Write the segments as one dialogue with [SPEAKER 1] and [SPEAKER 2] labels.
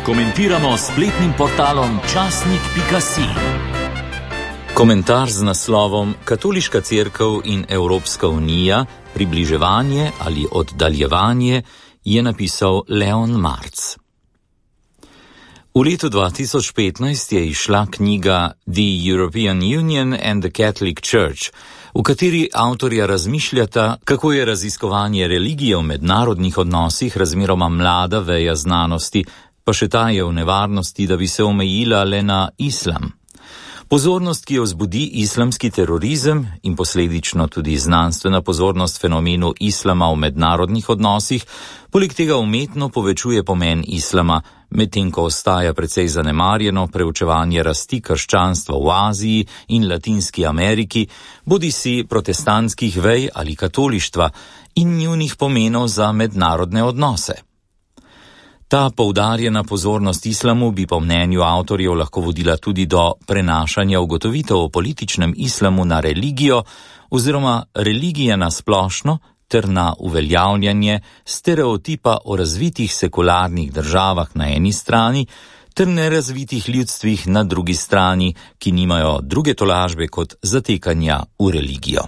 [SPEAKER 1] Komentiramo s spletnim portalom časnik.si.
[SPEAKER 2] Komentar z naslovom Katoliška cerkev in Evropska unija, približevanje ali oddaljevanje, je napisal Leon Marc. V letu 2015 je izšla knjiga The European Union and the Catholic Church, v kateri avtorja razmišljata, kako je raziskovanje religije v mednarodnih odnosih razmeroma mlada veja znanosti, pa še ta je v nevarnosti, da bi se omejila le na islam. Pozornost, ki jo vzbudi islamski terorizem in posledično tudi znanstvena pozornost fenomenu islama v mednarodnih odnosih, poleg tega umetno povečuje pomen islama, medtem ko ostaja precej zanemarjeno preučevanje rasti krščanstva v Aziji in Latinski Ameriki, bodisi protestantskih vej ali katolištva in njunih pomenov za mednarodne odnose. Ta poudarjena pozornost islamu bi po mnenju avtorjev lahko vodila tudi do prenašanja ugotovitev o političnem islamu na religijo oziroma religije na splošno ter na uveljavljanje stereotipa o razvitih sekularnih državah na eni strani ter nerazvitih ljudstvih na drugi strani, ki nimajo druge tolažbe kot zatekanja v religijo.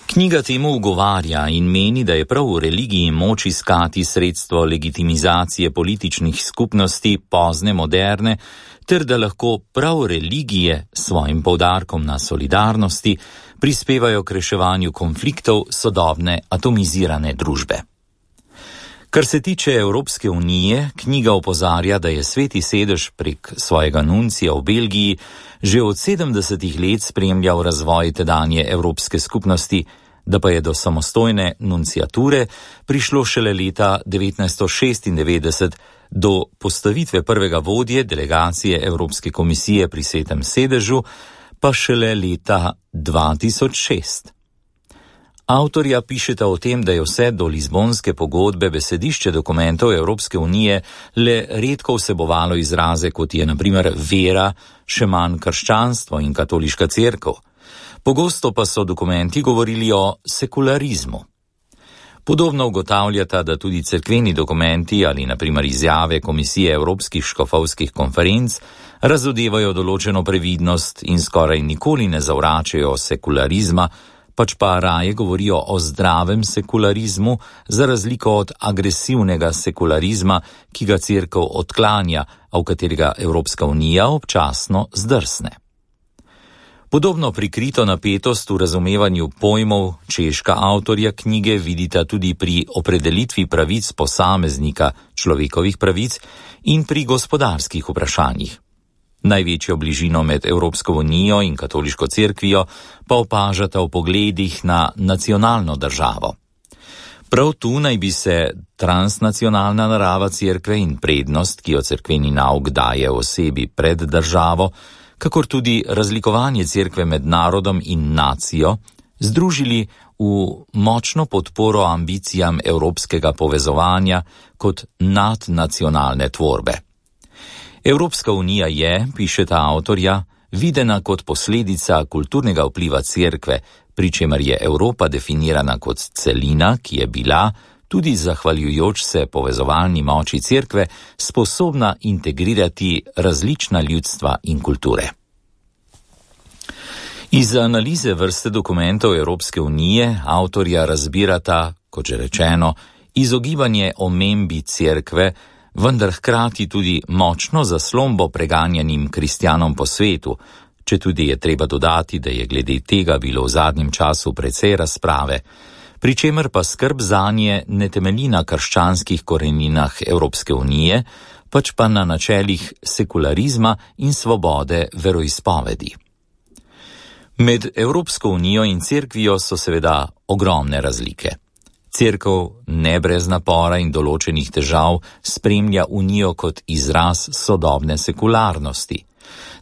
[SPEAKER 2] Knjiga temu ugovarja in meni, da je prav v religiji moč iskati sredstvo legitimizacije političnih skupnosti pozne moderne, ter da lahko prav religije s svojim poudarkom na solidarnosti prispevajo k reševanju konfliktov sodobne atomizirane družbe. Kar se tiče Evropske unije, knjiga opozarja, da je Sveti sedež prek svojega nuncija v Belgiji že od 70 let spremljal razvoj tedanje Evropske skupnosti, da pa je do samostojne nunciature prišlo šele leta 1996 do postavitve prvega vodje delegacije Evropske komisije pri Svetem sedežu, pa šele leta 2006. Avtorja pišeta o tem, da je vse do Lizbonske pogodbe besedišče dokumentov Evropske unije le redko vsebovalo izraze, kot je na primer vera, še manj krščanstvo in katoliška cerkev. Pogosto pa so dokumenti govorili o sekularizmu. Podobno ugotavljata, da tudi cerkveni dokumenti ali na primer izjave Komisije Evropskih škofovskih konferenc razodevajo določeno previdnost in skoraj nikoli ne zavračajo sekularizma, pač pa raje govorijo o zdravem sekularizmu, za razliko od agresivnega sekularizma, ki ga cerkev odklanja, a v katerega Evropska unija občasno zdrsne. Podobno prikrito napetost v razumevanju pojmov češka avtorja knjige vidita tudi pri opredelitvi pravic posameznika, človekovih pravic in pri gospodarskih vprašanjih. Največjo bližino med Evropsko unijo in katoliško cerkvijo pa opažata v pogledih na nacionalno državo. Prav tu naj bi se transnacionalna narava cerkve in prednost, ki jo cerkveni nauk daje osebi pred državo, kakor tudi razlikovanje cerkve med narodom in nacijo, združili v močno podporo ambicijam evropskega povezovanja kot nadnacionalne tvorbe. Evropska unija je, pišeta avtorja, videna kot posledica kulturnega vpliva cerkve, pri čemer je Evropa definirana kot celina, ki je bila, tudi zahvaljujoč se povezovalni moči cerkve, sposobna integrirati različna ljudstva in kulture. Iz analize vrste dokumentov Evropske unije avtorja razbirata, kot že rečeno, izogibanje omembi cerkve, vendar hkrati tudi močno zaslombo preganjanim kristjanom po svetu, četudi je treba dodati, da je glede tega bilo v zadnjem času precej razprave, pri čemer pa skrb zanje ne temelji na krščanskih koreninah Evropske unije, pač pa na načelih sekularizma in svobode veroizpovedi. Med Evropsko unijo in cerkvijo so seveda ogromne razlike. Cerkev ne brez napora in določenih težav spremlja unijo kot izraz sodobne sekularnosti.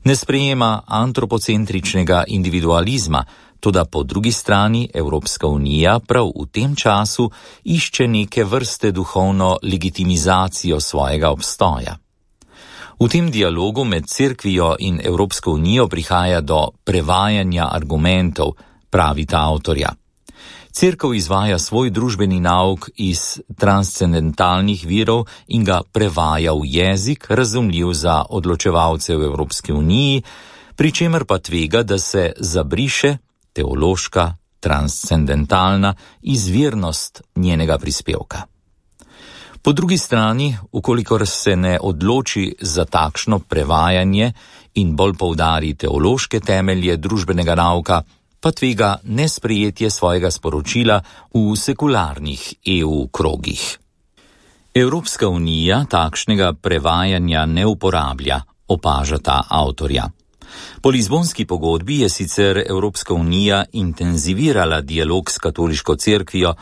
[SPEAKER 2] Ne sprejema antropocentričnega individualizma, toda po drugi strani Evropska unija prav v tem času išče neke vrste duhovno legitimizacijo svojega obstoja. V tem dialogu med cerkvijo in Evropsko unijo prihaja do prevajanja argumentov, pravita avtorja. Cerkev izvaja svoj družbeni nauk iz transcendentalnih virov in ga prevaja v jezik, razumljiv za odločevalce v Evropski uniji, pri čemer pa tvega, da se zabriše teološka, transcendentalna izvirnost njenega prispevka. Po drugi strani, ukolikor se ne odloči za takšno prevajanje in bolj poudari teološke temelje družbenega nauka, pa tvega nesprejetje svojega sporočila v sekularnih EU krogih. Evropska unija takšnega prevajanja ne uporablja, opažata avtorja. Po Lizbonski pogodbi je sicer Evropska unija intenzivirala dialog s katoliško cerkvijo,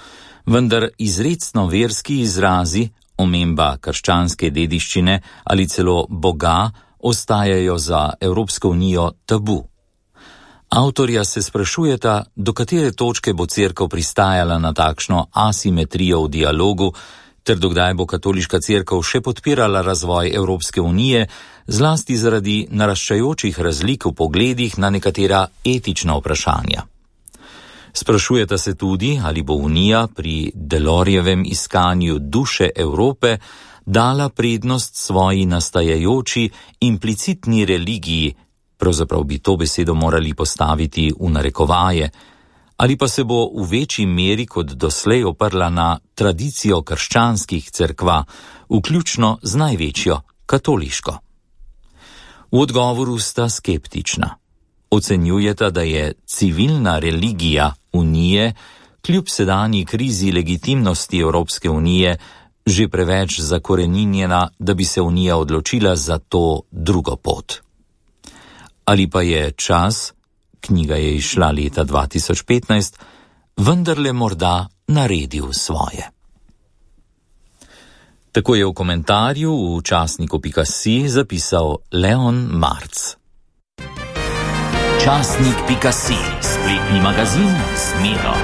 [SPEAKER 2] vendar izrecno verski izrazi, omemba krščanske dediščine ali celo Boga ostajajo za Evropsko unijo tabu. Avtorja se sprašujeta, do katere točke bo cerkev pristajala na takšno asimetrijo v dialogu, ter dokdaj bo katoliška cerkev še podpirala razvoj Evropske unije, zlasti zaradi naraščajočih razlik v pogledih na nekatera etična vprašanja. Sprašujeta se tudi, ali bo Unija pri Delorjevem iskanju duše Evrope dala prednost svoji nastajajoči implicitni religiji, pravzaprav bi to besedo morali postaviti v narekovaje, ali pa se bo v večji meri kot doslej oprla na tradicijo krščanskih cerkva, vključno z največjo, katoliško. V odgovoru sta skeptična. Ocenjujeta, da je civilna religija Unije, kljub sedanji krizi legitimnosti Evropske unije, že preveč zakoreninjena, da bi se Unija odločila za to drugo pot. Ali pa je čas, knjiga je izšla leta 2015, vendarle morda naredil svoje. Tako je v komentarju v časniku.si zapisal Leon Marc.
[SPEAKER 1] Časnik.si, spletni magazin z Miro.